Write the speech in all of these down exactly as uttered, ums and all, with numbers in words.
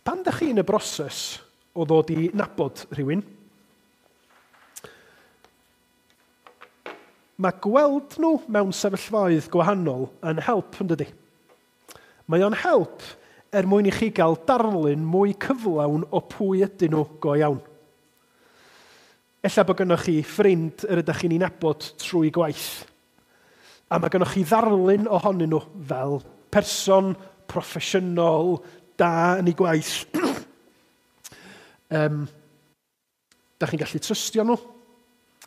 Pan ydych chi yn y broses o ddod i nabod rhywun, mae gweld nhw mewn sefyllfaoedd gwahanol yn help, yn dydi? Mae o'n help er mwyn i chi gael darlun mwy cyflawn o pwy ydyn nhw go iawn. Ella bod gennych chi ffrind yr ydych chi'n ei nabod trwy gwaith. A mae gennych chi ddarlun ohonyn nhw fel person proffesiynol, da yn ei gwaith. um, da chi'n gallu trystio nhw.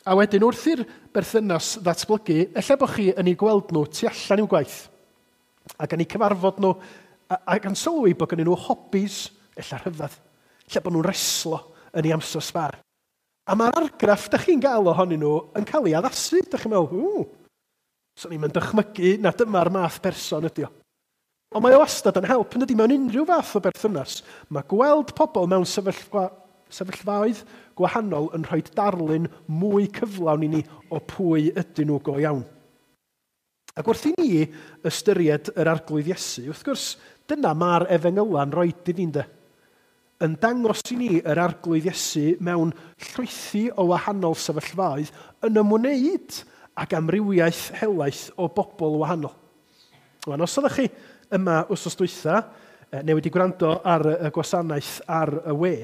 A wedyn wrth i'r berthynas ddatblygu, ella bod chi yn ei gweld nhw tu allan i'w gwaith. Ac yn eu cyfarfod nhw, ac yn sylwi bod gennyn nhw hobbies, ella rhyfedd. Ella bod nhw'n reslo yn ei amser sbar. A mae'r argraff da chi'n gael ohonyn nhw yn cael ei addasu. Da chi'n meddwl, ww, swn i'n dychmygu na dyma'r math person ydi o. Ond mae o wastad yn help, yn dydi, mewn unrhyw fath o berthynas. Mae gweld pobl mewn sefyllfa, sefyllfaoedd gwahanol yn rhoi darlun mwy cyflawn i ni o pwy ydyn nhw go iawn. Ac wrth i ni ystyried yr Arglwydd Iesu, wrth gwrs, dyna mae'r efengyla'n rhoi i ni, ynde? Yn dangos i ni yr Arglwydd Iesu mewn llwythi o wahanol sefyllfaoedd yn ymwneud ag amrywiaeth helaeth o bobl wahanol. Wan, os ydych chi yma wythnos dwytha, neu wedi gwrando ar y gwasanaeth ar y we,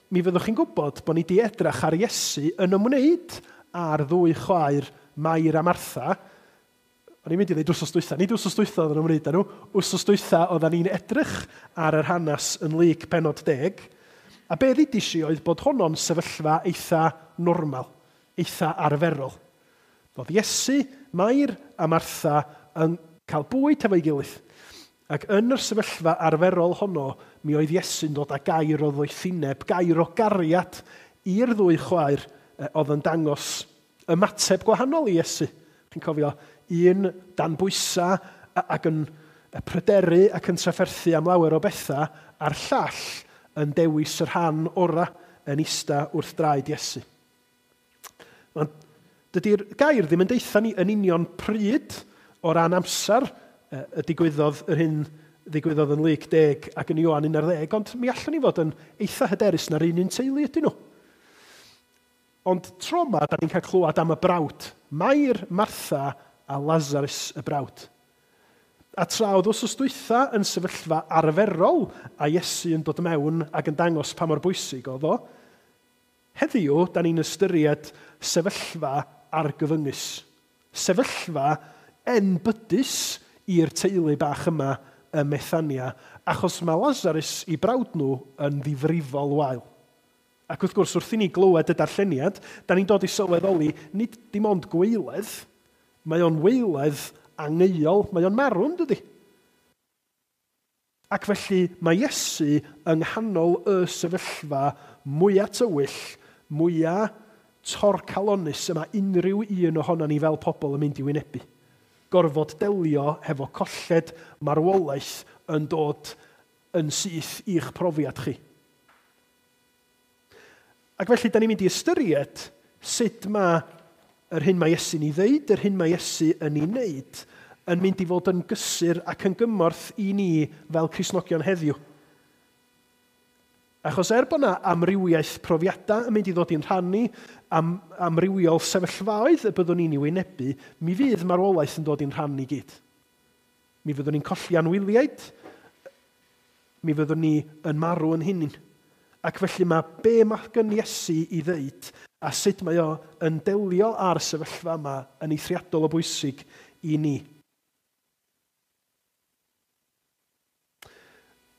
mi fyddwch chi'n gwybod bod ni wedi edrych ar Iesu yn ymwneud â'r ddwy chwaer Mair a Martha. O'n i'n mynd i ddweud wythnos dwytha, nid wythnos dwytha oedd yn ymwneud â nhw, wythnos dwytha oedden ni'n edrych ar yr hanes yn Luc penod deg, a be ddudis i oedd bod honno'n sefyllfa eitha normal, eitha arferol. Oedd Iesu, Mair a Martha yn cael bwyd hefo'i gilydd. Ac yn yr sefyllfa arferol honno, mi oedd Iesu'n dod â gair o ddoethineb, gair o gariad i'r ddwy chwaer oedd yn dangos ymateb gwahanol i Iesu. Chi'n cofio, un dan bwysa ac yn pryderu ac yn trafferthu am lawer o bethau, a'r llall yn dewis y rhan ora yn ista wrth draed Iesu. Ond dydy'r gair ddim yn deutha ni yn union pryd o ran amser y digwyddodd yr hyn ddigwyddodd yn Luc deg ac yn Ioan un ar ddeg, ond mi allwn ni fod yn eitha hyderus na'r un un teulu ydyn nhw. Ond tro yma, da ni'n cael clywed am y brawd, Mair, Martha a Lazarus y brawd. A tra oedd wythnos dwytha yn sefyllfa arferol a Iesu yn dod mewn ac yn dangos pa mor bwysig oedd o, heddiw, da ni'n ystyried sefyllfa argyfyngus. Sefyllfa enbydus i'r teulu bach yma ym Methania, achos mae Lazarus i brawd nhw yn ddifrifol wael. Ac wrth gwrs, wrth i ni glywed y darlleniad, da ni'n dod i sylweddoli, nid dim ond gweiledd, mae o'n weiledd angeuol, mae o'n marw, yn dydi? Ac felly mae Iesu yng nghanol y sefyllfa mwyaf tywyll, mwyaf torcalonnus yma unrhyw un ohono ni fel pobl yn mynd i wynebu. Gorfod delio hefo colled marwolaeth yn dod yn syth i'ch profiad chi. Ac felly, da ni'n mynd i ystyried sut mae yr hyn mae Iesu'n ei ddeud, yr hyn mae Iesu yn ei wneud, yn mynd i fod yn gysur ac yn gymorth i ni fel Cristnogion heddiw. Achos er bod yna amrywiaeth profiadau yn mynd i ddod i'n rhannu, am amrywiol sefyllfaoedd y byddwn ni'n ei wynebu, mi fydd marwolaeth yn dod i'n rhan i gyd. Mi fyddwn ni'n colli anwyliaid, mi fyddwn ni yn marw yn hunain. Ac felly mae be mae gen Iesu i ddeud a sut mae o yn delio â'r sefyllfa yma yn eithriadol o bwysig i ni.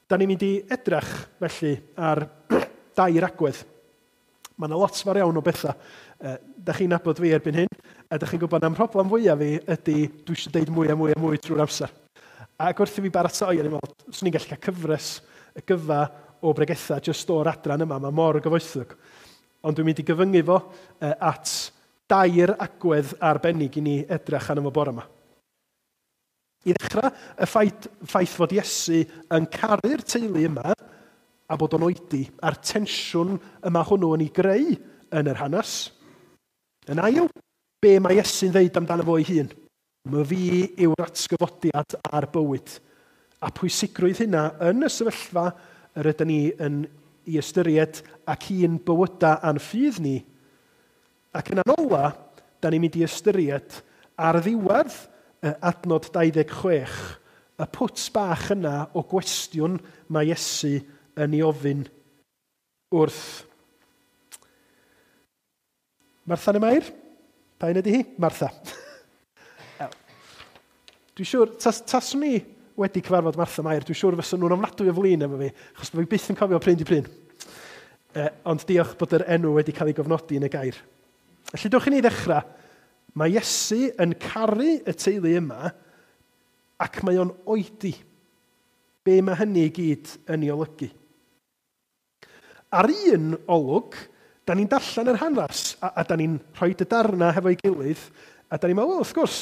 Da ni'n mynd i edrych felly ar dair agwedd. Mae yna lot fawr iawn o bethau. Da chi'n nabod fi erbyn hyn, a da chi'n gwybod am problem fwyaf fi ydy dwi eisiau deud mwy a mwy a mwy trwy'r amser. Ac wrth i fi baratoi, o'n i'n meddwl, swn i'n gallu cael cyfres y gyfa o bregethau jyst o'r adran yma, mae mor gyfoethog. Ond dwi'n mynd i gyfyngu fo at dair agwedd arbennig i ni edrych arno fo bore yma. I ddechrau, y ffaith, ffaith fod Iesu yn caru'r teulu yma a bod o'n oedi a'r tensiwn yma hwnnw yn ei greu yn yr hanes. Yn ail, be mae Iesu'n ddeud amdano fo ei hun? My fi yw'r atgyfodiad a'r bywyd. A pwysigrwydd hynna yn y sefyllfa yr ydyn ni yn ei ystyried ac un bywyda a'n ffydd ni. Ac yn ola, da ni'n mynd i ystyried ar ddiwedd adnod dau ddeg chwech, y pwt bach yna o gwestiwn mae Iesu yn ei ofyn wrth Martha neu Mair? Pa un ydy hi? Martha. Dwi'n siŵr, tas, taswn i wedi cyfarfod Martha Mair, dwi'n siŵr fysa nhw'n ofnadwy o flin efo fi, achos fi byth yn cofio pryn di pryn. E, ond diolch bod yr enw wedi cael ei gofnodi yn y gair. Felly dewch i ni ddechrau. Mae Iesu yn caru y teulu yma ac mae o'n oedi. Be mae hynny i gyd yn ei olygu? Ar un olwg, da ni'n darllen yr hanes a, a da ni'n rhoi y darna hefo'i gilydd a da ni'n meddwl, wrth gwrs,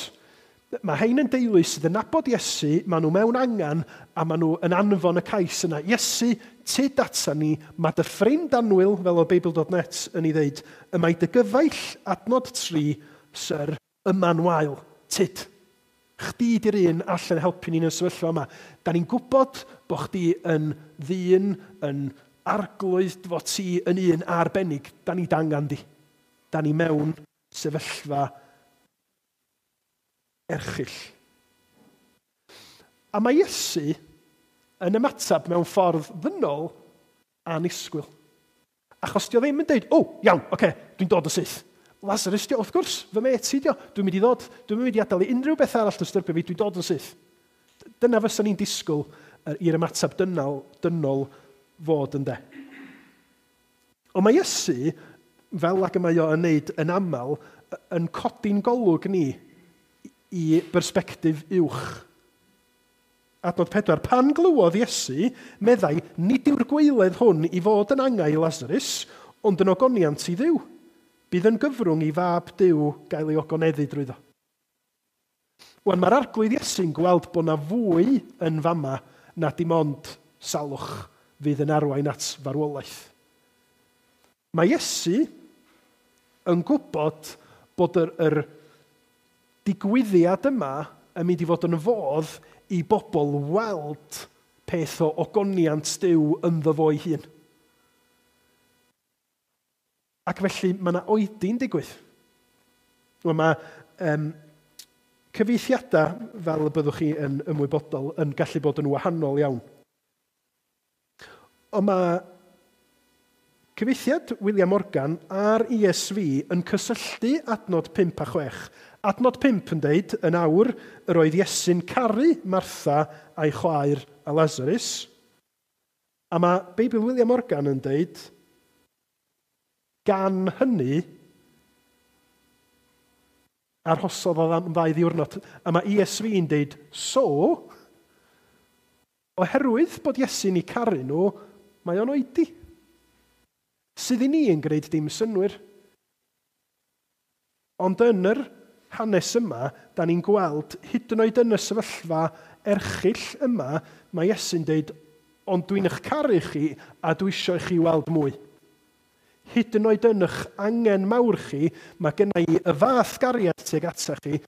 mae hein yn deulu sydd yn nabod Iesu, maen nhw mewn angen a maen nhw yn anfon y cais yna. Iesu, tyd ata ni, mae dy ffrind annwyl, fel o Beibl dot net yn ei ddeud, y mae dy gyfaill adnod tri, syr, yma'n wael, tyd. Chdi di'r un allan helpu ni'n y sefyllfa yma. Da ni'n gwybod bod chdi yn ddyn, yn arglwydd, fod ti yn un arbennig. Da ni dangan di. Da ni mewn sefyllfa erchyll. A mae Iesu yn ymateb mewn ffordd ddynol anisgwyl. Achos dio ddim yn deud, o, oh, iawn, oce, okay, dwi'n dod o syth. Lazarus dio, wrth gwrs, fy met i dio, dwi'n mynd i ddod, dwi'n mynd i adael i unrhyw beth arall dystyrbio fi, dwi'n dod yn syth. Dyna fysa ni'n disgwyl i'r ymateb dynol, dynol fod yn de. Ond mae Iesu, fel ag y mae o yn neud yn aml, yn codi'n golwg ni i bersbectif uwch. Adnod pedwar, pan glywodd Iesu, meddai, nid yw'r gwaeledd hwn i fod yn angau i Lazarus, ond yn ogoniant i Dduw. Bydd yn gyfrwng i fab Duw gael ei ogoneddu drwyddo. Wan, mae'r arglwydd Iesu'n gweld bod na fwy yn fama na dim ond salwch fydd yn arwain at farwolaeth. Mae Iesu yn gwybod bod yr, yr digwyddiad yma yn mynd i fod yn fodd i bobl weld peth o ogoniant Duw ynddo fo ei hun. Ac felly mae yna oedi'n digwydd. Wel, mae um, cyfieithiadau, fel y byddwch chi yn ymwybodol, yn gallu bod yn wahanol iawn. Ond mae cyfieithiad William Morgan a'r E S V yn cysylltu adnod pump a chwech. Adnod pump yn deud, yn awr, yr oedd Iesu'n caru Martha a'i chwaer a Lazarus. A mae Beibl William Morgan yn deud, gan hynny, arhosodd o am ddau ddiwrnod. A mae E S V yn deud, so, oherwydd bod Iesu'n eu caru nhw, mae o'n oedi. Sydd i ni yn gwneud dim synnwyr. Ond yn yr hanes yma, da ni'n gweld, hyd yn oed yn y sefyllfa erchyll yma, mae Iesu'n deud, ond dwi'n eich caru chi a dwi eisiau i chi weld mwy. Hyd yn oed yn eich angen mawr chi, mae genna i y fath gariad tuag ata chi,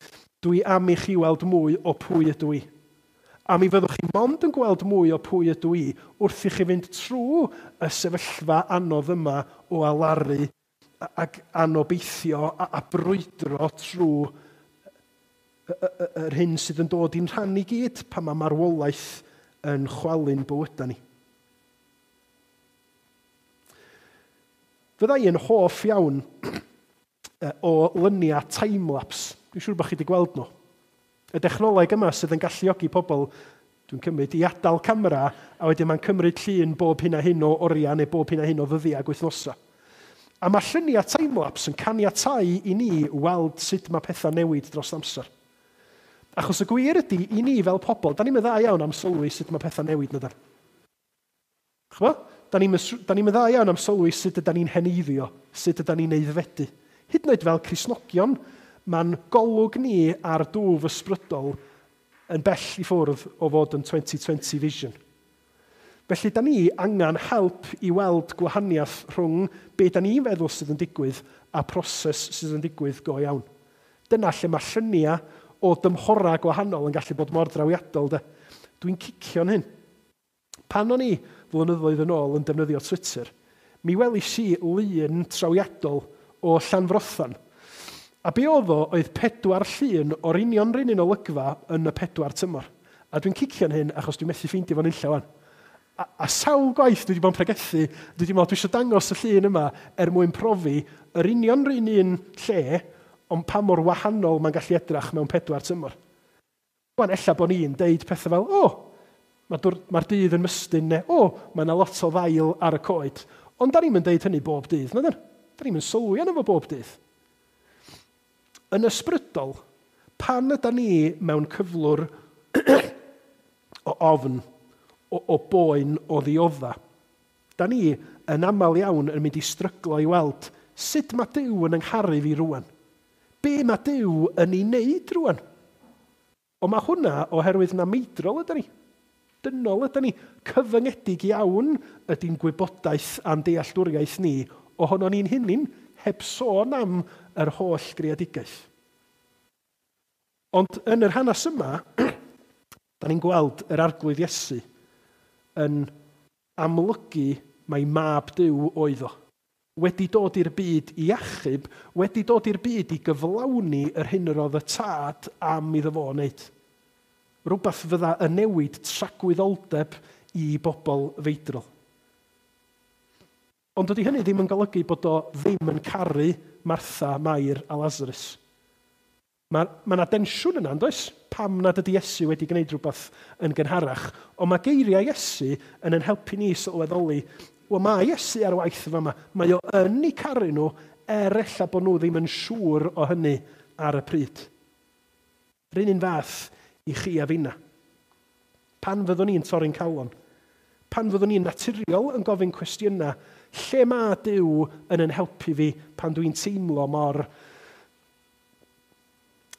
dwi am i chi weld mwy o pwy ydw i. A mi fyddwch chi mond yn gweld mwy o pwy ydw i wrth i chi fynd trwy y sefyllfa anodd yma o alaru ac anobeithio a, a brwydro trwy yr hyn sydd yn dod i'n rhan i gyd pan mae marwolaeth yn chwalu'n bywydau ni. Fydda i yn hoff iawn o lyniau timelapse. Dwi'n siŵr bod chi wedi gweld nhw. Y dechnoleg yma sydd yn galluogi pobl, dwi'n cymryd, i adael camera, a wedyn mae'n cymryd llun bob hyn a hyn o oriau neu bob hyn a hyn o ddyddiau ac wythnosau. A mae lluniau timelapse yn caniatáu i ni weld sut mae pethau newid dros amser. Achos y gwir ydy, i ni fel pobl, da ni'n dda iawn am sylwi sut mae pethau newid na da. Ch'bo? Da ni'n dda iawn am sylwi sut yda ni'n heneiddio, sut yda ni'n aeddfedu. Hyd yn oed fel Cristnogion, mae'n golwg ni ar dwf ysbrydol yn bell i ffwrdd o fod yn twenty twenty vision. Felly, da ni angen help i weld gwahaniaeth rhwng be da ni'n feddwl sydd yn digwydd a proses sydd yn digwydd go iawn. Dyna lle mae lluniau o dymhorau gwahanol yn gallu bod mor drawiadol. De. Dwi'n cicio'n hyn. Pan o'n i flynyddoedd yn ôl yn defnyddio Twitter, mi welis i lun trawiadol o Llanfrothan. A be oedd o oedd pedwar llun o'r union run un olygfa yn y pedwar tymor. A dwi'n cicio'n hyn achos dwi'n methu ffeindio fo'n unlla wan. A, a sawl gwaith dwi wedi bod yn pregethu, dwi wedi meddwl dwi eisiau dangos y llun yma er mwyn profi yr union run un lle, ond pa mor wahanol mae'n gallu edrach mewn pedwar tymor. Wan, ella bod ni'n deud pethau fel, o, oh, mae'r mae dydd yn mystyn, neu, o, oh, mae yna lot o ddail ar y coed. Ond da ni'n mynd deud hynny bob dydd, na dyn? Da ni'n mynd sylwi arno fo bob dydd. Yn ysbrydol, pan yda ni mewn cyflwr o ofn, o, o boen, o ddiodda, da ni yn aml iawn yn mynd i stryglo i weld sut mae Duw yn yngharu fi rwan. Be mae Duw yn ei wneud rwan? Ond mae hwnna oherwydd na meidrol yda ni. Dynol yda ni. Cyfyngedig iawn ydy'n gwybodaeth a'n dealltwriaeth ni ohono ni'n hunain, heb sôn am yr holl greadigaeth. Ond yn yr hanes yma, da ni'n gweld yr Arglwydd Iesu yn amlygu mai mab Duw oedd o. Wedi dod i'r byd i achub, wedi dod i'r byd i gyflawni yr hyn yr oedd y tad am iddo fo wneud. Rhywbeth fydda yn newid tragwyddoldeb i bobl feidrol. Ond dydy hynny ddim yn golygu bod o ddim yn caru Martha, Mair a Lazarus. Mae yna densiwn yna, yn does? Pam nad ydy Iesu wedi gwneud rhywbeth yn gynharach? Ond mae geiriau Iesu yn yn helpu ni sylweddoli, wel, mae Iesu ar waith yma. Mae o yn eu caru nhw, er ella bod nhw ddim yn siŵr o hynny ar y pryd. R'un un fath i chi a finna. Pan fyddwn ni'n torri'n calon, pan fyddwn ni'n naturiol yn gofyn cwestiynau, lle mae Duw yn yn helpu fi pan dwi'n teimlo mor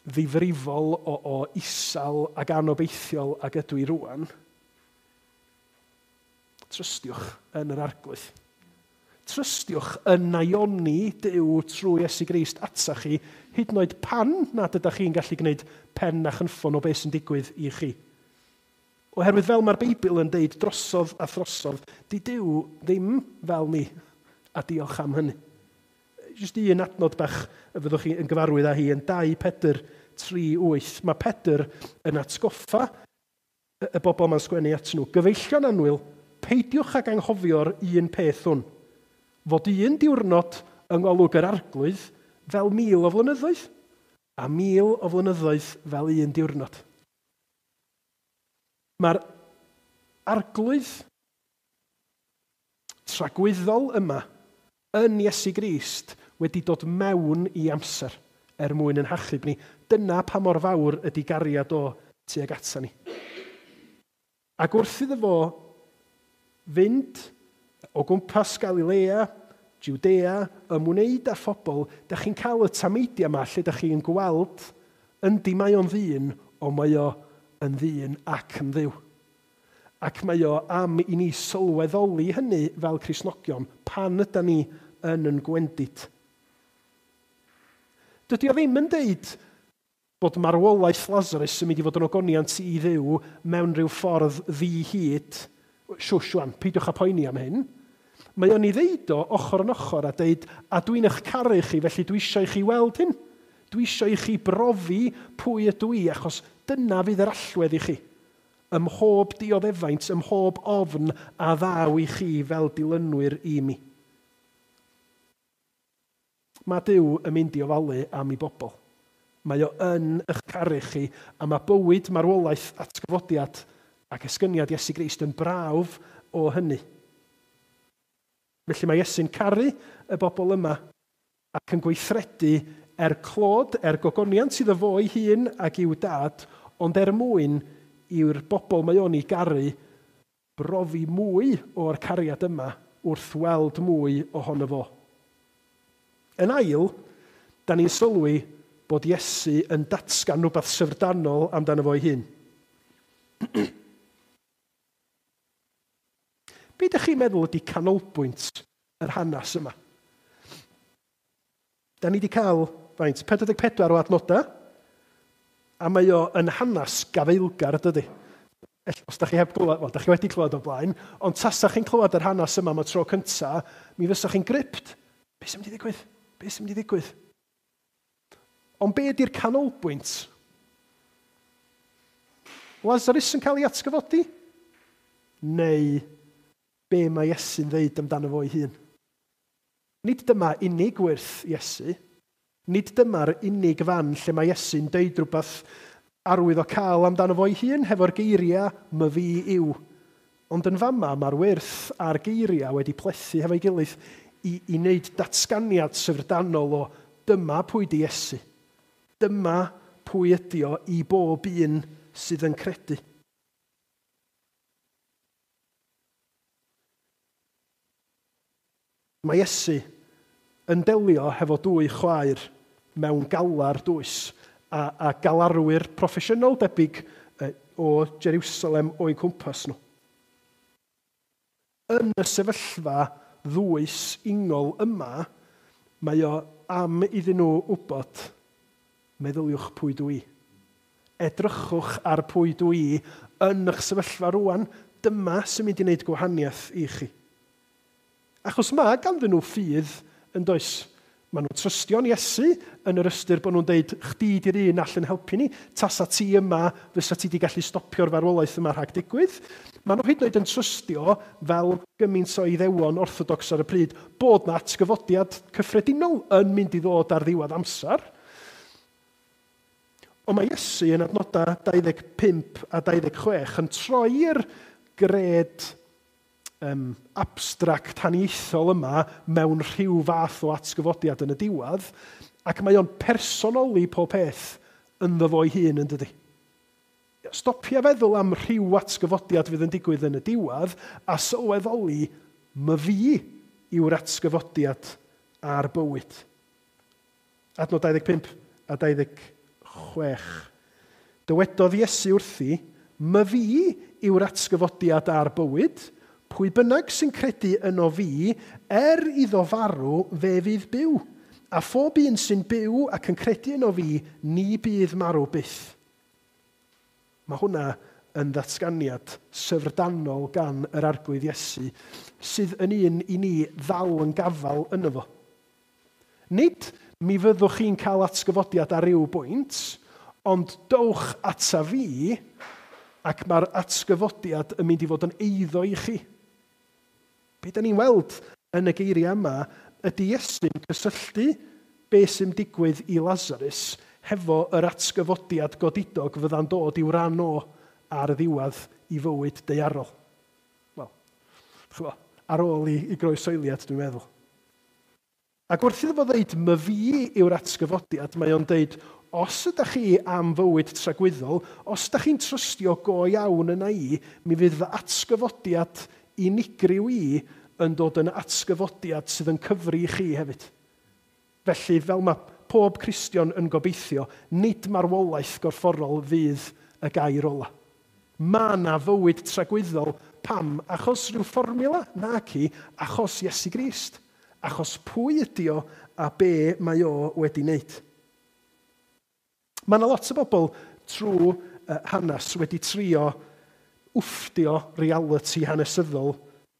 ddifrifol o, o isal ac anobeithiol ag ydw i rwan, trystiwch yn yr Arglwydd. Trystiwch yn naioni Duw trwy Iesu Grist ata chi, hyd yn oed pan nad ydych chi'n gallu gwneud pen a chynffon o beth sy'n digwydd i chi. Oherwydd fel mae'r Beibl yn deud drosodd a throsodd, di Duw ddim fel ni, a diolch am hynny. Jyst un adnod bach y fyddwch chi yn gyfarwydd â hi yn dau Pedr tri wyth. Mae Pedr yn atgoffa y bobl mae'n sgwennu at nhw. Gyfeillion annwyl, peidiwch ag anghofio'r un peth hwn. Fod un diwrnod yng ngolwg yr Arglwydd fel mil o flynyddoedd, a mil o flynyddoedd fel un diwrnod. Mae'r Arglwydd tragwyddol yma yn Iesu Grist wedi dod mewn i amser er mwyn yn hachub ni. Dyna pa mor fawr ydy gariad o tuag ata ni. Ac wrth iddo fo fynd o gwmpas Galilea, Judea, ymwneud â phobl, da chi'n cael y tameidiau yma lle da chi'n gweld yndi mae o'n ddyn, ond mae o yn ddyn ac yn ddiw. Ac mae o am i ni sylweddoli hynny fel Cristnogion pan yda ni yn yn gwendid. Dydy o ddim yn deud bod marwolaeth Lazarus yn mynd i fod yn ogoniant i Dduw mewn rhyw ffordd ddi-hid. Shwsh wan, peidiwch â poeni am hyn. Mae o'n ei ddeud o ochr yn ochr a deud, a dwi'n eich caru chi, felly dwi eisiau i chi weld hyn. Dwi eisiau i chi brofi pwy ydw i, achos dyna fydd yr allwedd i chi. Ym mhob dioddefaint, ym mhob ofn a ddaw i chi fel dilynwyr i mi. Mae Duw yn mynd i ofalu am ei bobl. Mae o yn eich caru chi, a mae bywyd, marwolaeth, atgyfodiad ac esgyniad Iesu Grist yn brawf o hynny. Felly mae Iesu'n caru y bobl yma ac yn gweithredu er clod, er gogoniant iddo fo ei hun ac i'w dad, ond er mwyn i'r bobl mae o'n ei garu brofi mwy o'r cariad yma wrth weld mwy ohono fo. Yn ail, da ni'n sylwi bod Iesu yn datgan rhywbeth syfrdanol amdano fo'i hun. Be ydych chi'n meddwl ydy canolbwynt yr hanes yma? Da ni wedi cael, faint, pedwar deg pedwar o adnodau, a mae o yn hanes gafaelgar, dydy. Os da chi heb glywed, wel, da chi wedi clywed o blaen, ond tasa chi'n clywed yr hanes yma am y tro cynta, mi fysa chi'n gripped. Be sy'n mynd i ddigwydd? Be sy'n mynd i ddigwydd? Ond be ydy'r canolbwynt? Lazarus yn cael ei atgyfodi? Neu be mae Iesu'n ddeud amdano fo ei hun? Nid dyma unig wyrth Iesu. Nid dyma'r unig fan lle mae Iesu'n deud rhywbeth arwyddocaol amdano fo'i hun hefo'r geiriau "myfi yw". Ond yn fama mae'r wyrth a'r geiriau wedi plethu hefo'i gilydd i, i wneud datganiad syfrdanol o dyma pwy di Iesu. Dyma pwy ydi o i bob un sydd yn credu. Mae Iesu yn delio hefo dwy chwaer mewn galar dwys a, a galarwyr proffesiynol debyg o Jerusalem o'u cwmpas nhw. Yn y sefyllfa ddwys ingol yma, mae o am iddyn nhw wybod, meddyliwch pwy dwi. Edrychwch ar pwy dwi yn eich sefyllfa rwan, dyma sy'n mynd i wneud gwahaniaeth i chi. Achos mae ganddyn nhw ffydd yn does. Maen nhw'n trystio'n Iesu yn yr ystyr bod nhw'n deud, chdi di'r un all yn helpu ni, tasa ti yma, fysa ti di gallu stopio'r farwolaeth yma rhag digwydd. Maen nhw hyd yn oed yn trystio, fel gymaint o Iddewon orthodox ar y pryd, bod na atgyfodiad cyffredinol yn mynd i ddod ar ddiwedd amser. Ond mae Iesu yn adnodau dau ddeg pump a dau ddeg chwech yn troi'r gred Um, abstract haniaethol yma mewn rhyw fath o atgyfodiad yn y diwedd, ac mae o'n personoli pob peth ynddo fo'i hun, yn dydi. Stopia feddwl am rhyw atgyfodiad fydd yn digwydd yn y diwedd, a sylweddoli myfi yw'r atgyfodiad a'r bywyd. Adnod dau ddeg pump a dau ddeg chwech. Dywedodd Iesu wrthi, myfi yw'r atgyfodiad a'r bywyd, pwy bynnag sy'n credu yno fi, er iddo farw, fe fydd byw. A phob un sy'n byw ac yn credu yno fi, ni bydd marw byth. Mae hwnna yn ddatganiad syfrdanol gan yr Arglwydd Iesu, sydd yn un i ni ddal yn gafal yno fo. Nid mi fyddwch chi'n cael atgyfodiad ar ryw bwynt, ond dowch ata fi, ac mae'r atgyfodiad yn mynd i fod yn eiddo i chi. Be da ni'n weld yn y geiriau yma ydy Iesu'n cysylltu be sy'n digwydd i Lazarus hefo yr atgyfodiad godidog fydda'n dod i'w ran o ar y ddiwedd i fywyd daearol. Wel, ch'bo, ar ôl i, i groesoeliad, dwi'n meddwl. Ac wrth iddo fo ddeud, myfi yw'r atgyfodiad, mae o'n deud, os ydych chi am fywyd tragwyddol, os ydych chi'n trystio go iawn yna i, mi fydd fy atgyfodiad unigryw i yn dod yn atgyfodiad sydd yn cyfri i chi hefyd. Felly, fel mae pob Cristion yn gobeithio, nid marwolaeth gorfforol fydd y gair ola. Mae yna fywyd tragwyddol. Pam? Achos rhyw fformiwla? Naci, achos Iesu Grist. Achos pwy ydi o a be mae o wedi wneud. Mae yna lot o bobl trwy hanes wedi trio wfftio reality hanesyddol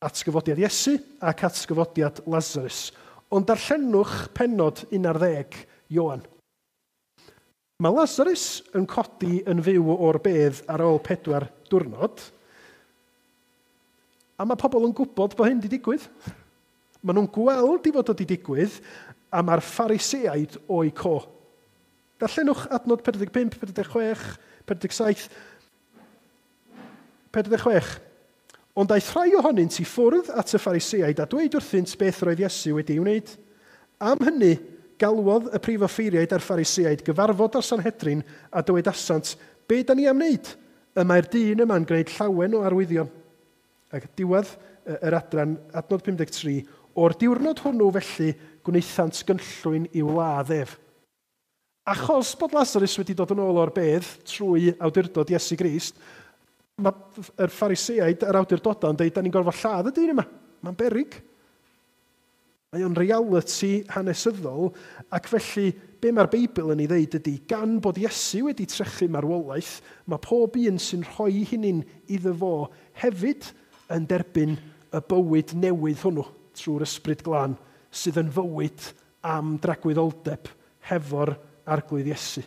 atgyfodiad Iesu ac atgyfodiad Lazarus. Ond darllenwch pennod un ar ddeg Ioan. Mae Lazarus yn codi yn fyw o'r bedd ar ôl pedwar diwrnod, a mae pobl yn gwybod bod hyn wedi digwydd. Maen nhw'n gweld i fod wedi digwydd, a mae'r Phariseaid o'i co. Darllenwch adnod pedwar deg pump, pedwar deg chwech, pedwar deg saith, pedwar deg chwech. Ond aeth rhai ohonynt i ffwrdd at y Phariseaid a dweud wrthynt beth roedd Iesu wedi ei wneud. Am hynny, galwodd y prif offeiriaid a'r Phariseaid gyfarfod â'r Sanhedrin a dywedasant, be da ni am wneud? Y mae'r dyn yma'n gwneud llawen o arwyddion. Ac diwedd yr adran, adnod pum deg tri, o'r diwrnod hwnnw felly gwnaethant gynllwyn i'w ladd ef. Achos bod Lazarus wedi dod yn ôl o'r bedd trwy awdurdod Iesu Grist, mae'r Phariseaid a'r awdurdodau yn dweud, da ni'n gorfod lladd y dyn yma. Mae'n beryg. Mae o'n reality hanesyddol, ac felly be mae'r Beibl yn ei ddeud ydy, gan bod Iesu wedi trechu marwolaeth, mae pob un sy'n rhoi hunin iddo fo hefyd yn derbyn y bywyd newydd hwnnw trwy'r Ysbryd Glân, sydd yn fywyd am dragwyddoldeb hefo'r Arglwydd Iesu.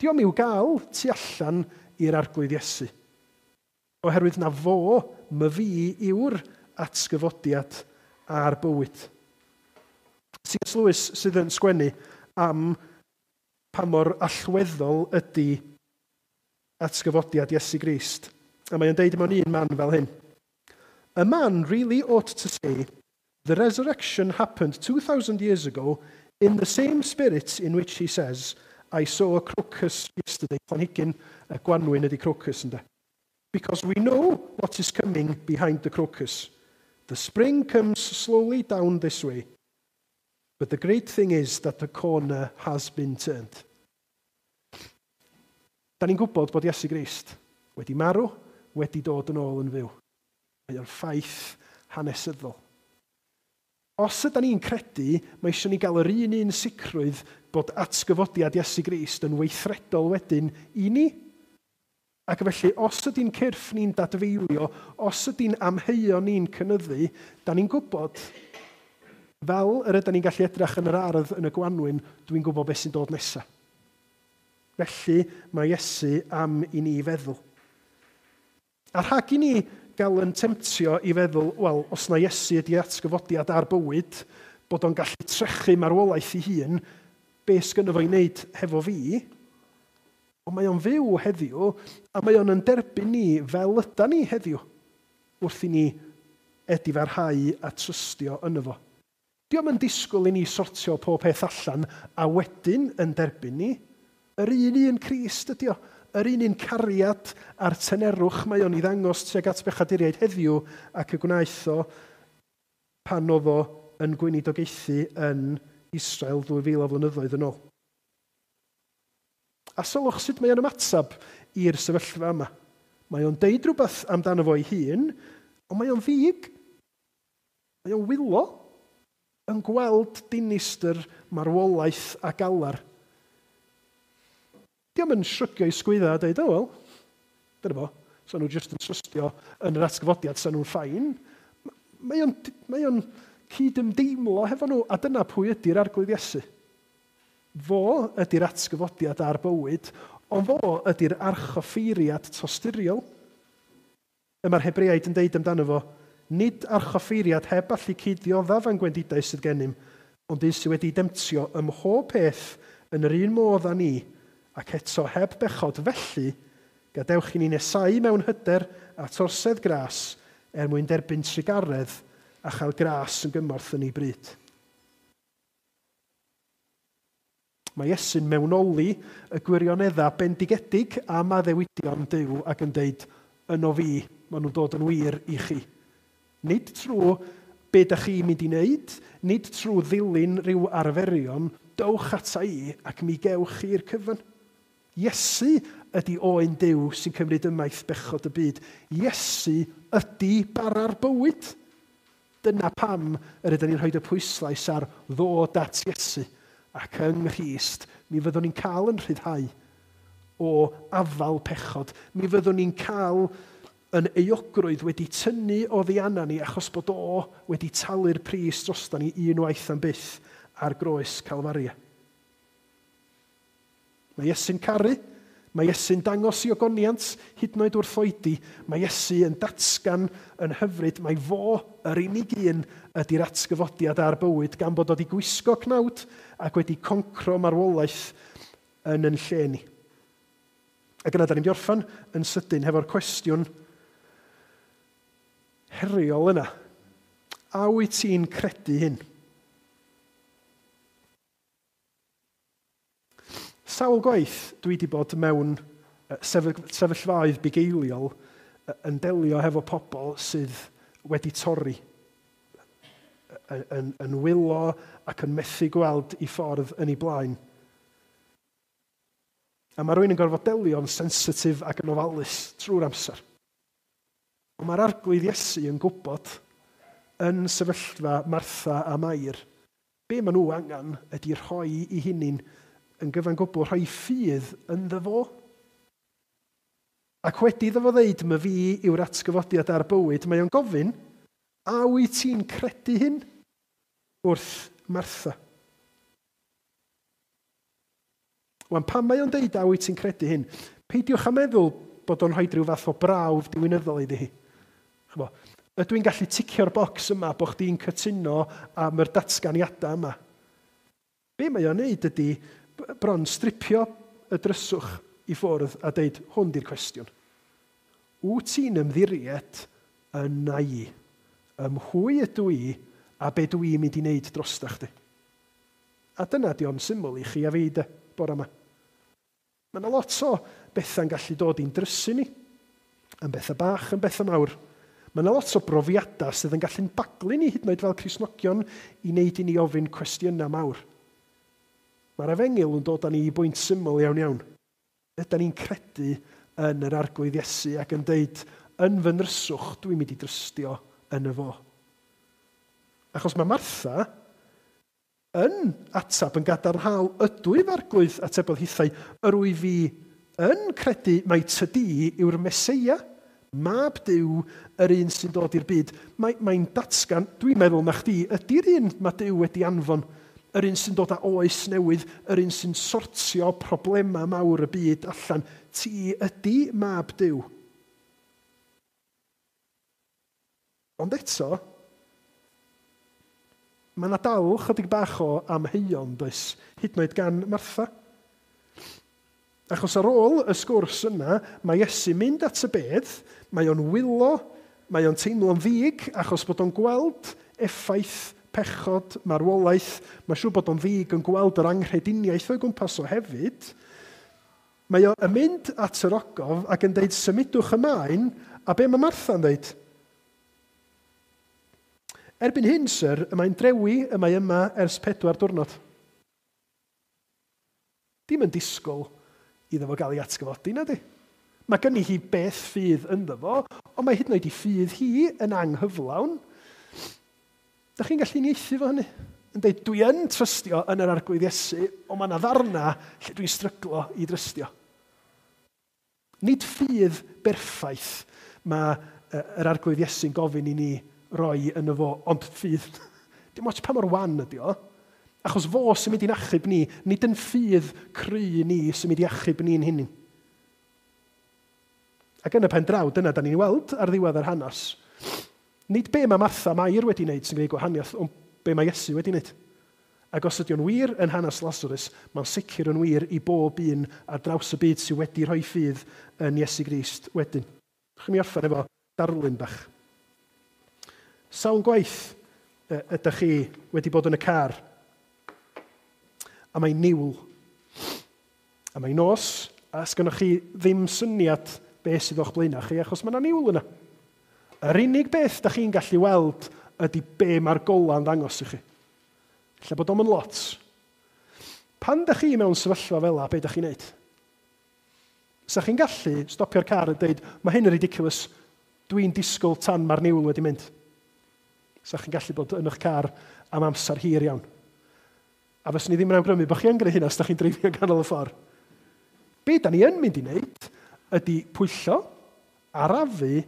Dio'm i'w gael tu allan i'r Arglwydd Iesu, oherwydd na fo, my fi, yw'r atgyfodiad a'r bywyd. C S Lewis sydd yn sgwennu am pa mor allweddol ydy atgyfodiad Iesu Grist. A mae o'n deud mewn un man fel hyn. A man really ought to say, the resurrection happened two thousand years ago in the same spirit in which he says, I saw a crocus yesterday. Planhigyn y gwanwyn ydy crocus, ynde? Because we know what is coming behind the crocus. The spring comes slowly down this way. But the great thing is that the corner has been turned. Da ni'n gwybod bod Iesu Grist wedi marw, wedi dod yn ôl yn fyw. Mae o'n ffaith hanesyddol. Os ydy ni'n credu, mae eisiau ni gael yr un un sicrwydd bod atgyfodiad Iesu Grist yn weithredol wedyn i ni. Ac felly, os ydy'n cyrff ni'n dadfeilio, os ydy'n amheuon ni'n cynyddu, da ni'n gwybod, fel yr ydyn ni'n gallu edrych yn yr ardd yn y gwanwyn, dwi'n gwybod beth sy'n dod nesaf. Felly, mae Iesu am i ni feddwl. A rhag i ni gael yn temtio i feddwl, wel, os na Iesu ydy atgyfodiad ar bywyd, bod o'n gallu trechu marwolaeth ei hun, be sgynno fo i wneud hefo fi? Ond mae o'n fyw heddiw, a mae o'n yn derbyn ni fel yda ni heddiw, wrth i ni edifarhau a trystio yno fo. Dio'm yn disgwyl i ni sortio pob peth allan a wedyn yn derbyn ni. Yr un un Crist ydi o, yr un un cariad a'r tenerwch mae o'n ei ddangos tuag at bechaduriaid heddiw ac y gwnaeth o pan oedd o yn gweinidogaethu yn Israel ddwy fil o flynyddoedd yn ôl. A sylwch sut mae o'n ymateb i'r sefyllfa yma. Mae o'n deud rhywbeth amdano fo ei hun, ond mae o'n ddig. Mae o'n wylo yn gweld dinistr, marwolaeth a galar. Dio'm yn shrygio i sgwydda a deud, oh well, dyna fo, so nhw jyst yn trystio yn yr atgyfodiad, so nhw'n fine. Mae o'n, mae o'n cydymdeimlo hefo nhw, a dyna pwy ydy'r Arglwydd Iesu. Fo ydy'r atgyfodiad a'r bywyd, ond fo ydy'r archoffeiriad tosturiol. Y mae'r Hebreaid yn deud amdano fo, nid archoffeiriad heb allu cyd-ddioddef ein gwendidau sydd gennym, ond un sydd wedi demtio ym mhob peth yn yr un modd â ni, ac eto heb bechod. Felly, gadewch i ni nesau mewn hyder at orsedd gras er mwyn derbyn trugaredd a chael gras yn gymorth yn ei bryd. Mae Iesu'n mewnoli y gwirioneddau bendigedig am addewidion Duw ac yn deud, yno fi, maen nhw'n dod yn wir i chi. Nid trwy be da chi'n mynd i wneud, nid trwy ddilyn rhyw arferion, dowch ata i ac mi gewch chi'r cyfan. Iesu ydy oen Duw sy'n cymryd ymaith bechod y byd. Iesu ydy bara'r bywyd. Dyna pam yr ydyn ni'n rhoi y pwyslais ar ddod at Iesu. Ac yng Nghrist, mi fyddwn ni'n cael yn rhyddhau o afal pechod. Mi fyddwn ni'n cael yn euogrwydd wedi tynnu oddi arna ni achos bod o wedi talu'r pris drosta ni unwaith am byth ar groes Calfaria. Mae Iesu'n caru, mae Iesu'n dangos i ogoniant hyd yn oed wrth oedi, mae Iesu yn datgan yn hyfryd, mae fo yr unig un ydy'r atgyfodiad a'r bywyd gan bod o wedi gwisgo cnawd ac wedi concro marwolaeth yn yn lle ni. Ac yna, da ni'n orffen yn sydyn hefo'r cwestiwn heriol yna. A wyt ti'n credu hyn? Sawl gwaith dwi wedi bod mewn sefyllfaoedd bugeiliol yn delio hefo pobl sydd wedi torri, yn, yn, yn wylo ac yn methu gweld i ffordd yn ei blaen. A mae rhywun yn gorfod delio'n sensitif ac yn ofalus trwy'r amser. Ond mae'r Arglwydd Iesu yn gwybod yn sefyllfa Martha a Mair, be maen nhw angen ydy rhoi i hunain yn gyfan gwbl, rhoi ffydd ynddo fo. Ac wedi iddo fo ddeud, "My fi yw'r atgyfodiad a'r bywyd," mae o'n gofyn, "A wyt ti'n credu hyn?" wrth Martha. Wan, pan mae o'n deud "A wyt ti'n credu hyn?", peidiwch â meddwl bod o'n rhoi rhyw fath o brawf diwinyddol iddi hi. Ch'bo, ydw i'n gallu ticio'r bocs yma bod chdi'n cytuno am yr datganiadau yma? Be mae o'n neud ydy bron stripio y dryswch i ffwrdd a deud, "Hwn di'r cwestiwn. Wyt ti'n ymddiried yna i? Ym mhwy ydw i a be dw i'n mynd i wneud drosta chdi?" A dyna di o'n syml i chi a fi de, bore yma. Mae yna lot o bethau'n gallu dod i'n drysu ni, yn bethau bach, yn bethau mawr. Mae yna lot o brofiadau sydd yn gallu'n baglu ni hyd yn oed fel Cristnogion i wneud i ni ofyn cwestiynau mawr. Mae'r efengyl yn dod â ni i bwynt syml iawn iawn. Ydy ni'n credu yn yr Arglwydd Iesu ac yn deud, "Yn fy nryswch, dwi'n mynd i drystio yn y fo"? Achos mae Martha yn atab yn gadarnhaol, "Ydw i, Arglwydd," atebodd hithau, "yr wyf fi yn credu mai tydi yw'r Meseia, mab Duw, yr un sy'n dod i'r byd." Mae, mae'n datgan, "Dwi'n meddwl na chdi ydy'r un mae Duw wedi anfon, yr un sy'n dod â oes newydd, yr un sy'n sortio problemau mawr y byd allan. Ti ydy mab Duw." Ond eto, mae yna dal chydig bach o amheuon, does, hyd yn oed gan Martha. Achos ar ôl y sgwrs yna, mae Iesu mynd at y bedd, mae o'n wylo, mae o'n teimlo'n ddig, achos bod o'n gweld effaith pechod, marwolaeth, mae'n siŵr bod o'n ddig yn gweld yr anghrediniaeth o'i gwmpas o hefyd. Mae o'n mynd at yr ogof ac yn deud, "Symudwch y maen," a be mae Martha'n deud? "Erbyn hyn, syr, y mae'n drewi, y mae yma ers pedwar diwrnod." Dim yn disgwyl iddo fo gael ei atgyfodi, na di? Mae gynni hi beth ffydd ynddo fo, ond mae hyd yn oed i ffydd hi yn anghyflawn. Da chi'n gallu uniaethu fo hynny? Yn dweud, "Dwi yn trystio yn yr Arglwydd Iesu, ond mae yna ddarna lle dwi'n stryglo i drystio." Nid ffydd berffaith mae yr Arglwydd Iesu'n gofyn i ni roi yn y fo, ond ffydd. Dim ots pa mor wan ydi o, achos fo sy'n mynd i'n achub ni, nid yn ffydd cry ni sy'n mynd i achub ni'n hunain. Ac yn y pen draw, dyna da ni'n weld ar ddiwedd yr hanes. Nid be mae Martha Mair wedi wneud sy'n gwneud gwahaniaeth, ond be mae Iesu wedi wneud. Ac os ydy o'n wir yn hanes Lazarus, mae'n sicr yn wir i bob un ar draws y byd sydd wedi rhoi ffydd yn Iesu Grist wedyn. Chi'n mi orffen efo darlun bach. Sawl gwaith ydych chi wedi bod yn y car a mae'n niwl, a mae'n nos, a sgynnoch chi ddim syniad beth sydd o'ch blaenau chi, achos mae yna niwl yna. Yr unig beth da chi'n gallu weld ydy be mae'r gola'n ddangos i chi. Lle bod o'm yn lot. Pan da chi mewn sefyllfa fel 'na, be da chi'n neud? Sa chi'n gallu stopio'r car a dweud, "Mae hyn yn ridiculous, dwi'n disgwyl tan mae'r niwl wedi mynd"? Sa chi'n gallu bod yn eich car am amser hir iawn. A fyswn i ddim yn awgrymu bod chi yn gwneud hynna os da chi'n dreifio yn ganol y ffordd. Be da ni yn mynd i wneud ydy pwyllo, arafu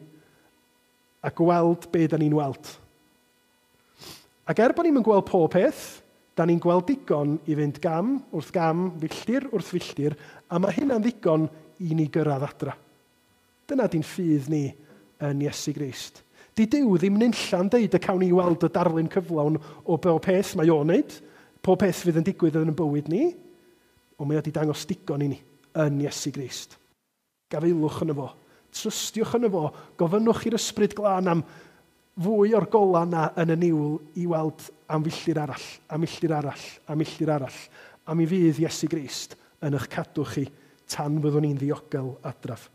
a gweld be da ni'n weld. Ac er bod ni'n gweld pob peth, da ni'n gweld digon i fynd gam wrth gam, filltir wrth filltir, a mae hynna'n ddigon i ni gyrraedd adra. Dyna di'n ffydd ni yn Iesu Grist. Di Duw ddim nunlla'n deud y cawn ni weld y darlun cyflawn o bob peth mae o'n neud, pob peth fydd yn digwydd yn y bywyd ni, ond mae o wedi dangos digon i ni yn Iesu Grist. Gafaelwch yn y fo, trystiwch yn y fo, gofynnwch i'r Ysbryd Glân am fwy o'r gola yna yn y niwl i weld am filltir arall, am milltir arall, am milltir arall, a mi fydd Iesu Grist yn eich cadw chi tan fyddwn ni'n ddiogel adraf.